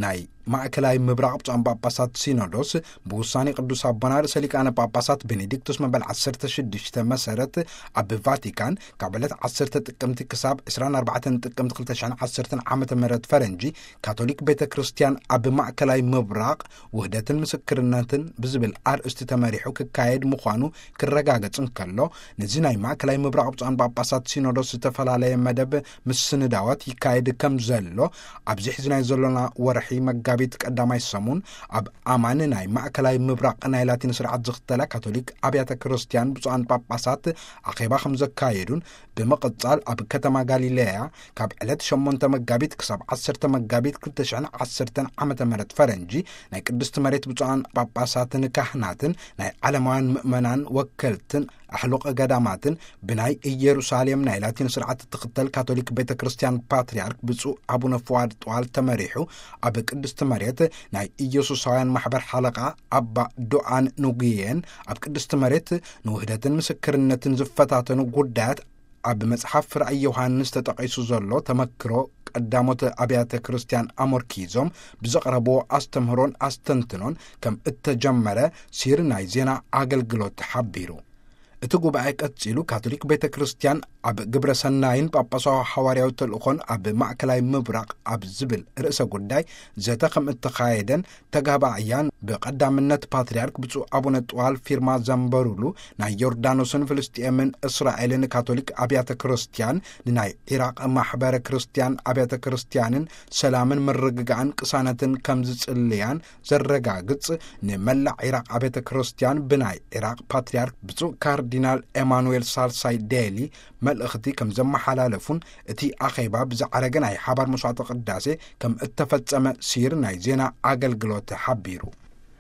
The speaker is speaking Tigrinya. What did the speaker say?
ናይ ማእከላይ ምብራቕ ብፁዓን ጳጳሳት ሲኖዶስ፣ ብውሳኔ ቅዱስ ኣቦና ርእሰ ሊቃነ ጳጳሳት ቤኔዲክቶስ መበል ዓሰርተ ሽዱሽተ መሰረት፣ ኣብ ቫቲካን ካብ ዕለት ዓሰርተ ጥቅምቲ ክሳብ ዕስራን ኣርባዕተን ጥቅምቲ ክልተ ሽሕን ዓሰርተን ዓመተ ምህረት ፈረንጂ፣ ካቶሊክ ቤተ ክርስቲያን ኣብ ማእከላይ ምብራቕ ውህደትን ምስክርነትን ብዝብል ኣርእስቲ ተመሪሑ ክካየድ ምዃኑ ክረጋገጽ እንከሎ፣ ነዚ ናይ ማእከላይ ምብራቕ ብፁዓን ጳጳሳት ሲኖዶስ ዝተፈላለየ መደብ ምስንዳዋት ይካየድ ከም ዘሎ፣ ኣብዚ ሕዚ ናይ ዘሎና ወርሒ መጋቢት ቀዳማይ ሰሙን ኣብ ኣማን ናይ ማእከላይ ምብራቕ ናይ ላቲን ስርዓት ዝኽተላ ካቶሊክ ኣብያተ ክርስቲያን ብፁዓን ጳጳሳት ኣኼባ ከም ዘካየዱን፣ ብምቕጻል ኣብ ከተማ ጋሊለያ ካብ ዕለት ሸሞንተ መጋቢት ክሳብ ዓሰርተ መጋቢት ክልተ ሽሕን ዓሰርተን ዓመተ ምህረት ፈረንጂ ናይ ቅድስቲ መሬት ብፁዓን ጳጳሳትን ካህናትን ናይ ዓለማውያን ምእመናን ወከልትን ኣሕሉቕ ገዳማትን ብናይ ኢየሩሳሌም ናይ ላቲን ስርዓት እትኽተል ካቶሊክ ቤተ ክርስቲያን ፓትርያርክ ብፁዕ ኣቡነ ፍዋድ ጥዋል ተመሪሑ ኣብ ቅድስቲ መሬት ናይ ኢየሱሳውያን ማሕበር ሓለቓ ኣባ ዶኣን ኑጉየን ኣብ ቅድስቲ መሬት ንውህደትን ምስክርነትን ዝፈታተኑ ጉዳያት ኣብ መጽሓፍ ራእይ ዮሃንስ ተጠቒሱ ዘሎ ተመክሮ ቀዳሞት ኣብያተ ክርስቲያን ኣመርኪዞም ብዘቕረብዎ ኣስተምህሮን ኣስተንትኖን ከም እተጀመረ ሲር ናይ ዜና ኣገልግሎት ሓቢሩ። እቲ ጉባኤ ቀጺሉ ካቶሊክ ቤተ ክርስቲያን ኣብ ግብረ ሰናይን ጳጳሳዊ ሓዋርያዊ ተልእኾን ኣብ ማእከላይ ምብራቕ ኣብ ዝብል ርእሰ ጉዳይ ዘተ ከም እተኻየደን ተጋባእያን ብቐዳምነት ፓትርያርክ ብፁዕ ኣቡነ ጥዋል ፊርማ ዘንበሩሉ ናይ ዮርዳኖስን ፍልስጥኤምን እስራኤልን ካቶሊክ ኣብያተ ክርስቲያን ንናይ ዒራቕ ማሕበረ ክርስቲያን ኣብያተ ክርስቲያንን ሰላምን ምርግጋእን ቅሳነትን ከም ዝጽልያን ዘረጋግጽ፣ ንመላእ ዒራቕ ኣብያተ ክርስቲያን ብናይ ዒራቕ ፓትርያርክ ብፁዕ ካርዲናል ኤማኑኤል ሳልሳይ ዴሊ መልእኽቲ ከም ዘመሓላለፉን እቲ ኣኼባ ብዝዓረገ ናይ ሓባር መስዋዕተ ቅዳሴ ከም እተፈጸመ ሲር ናይ ዜና ኣገልግሎት ሓቢሩ።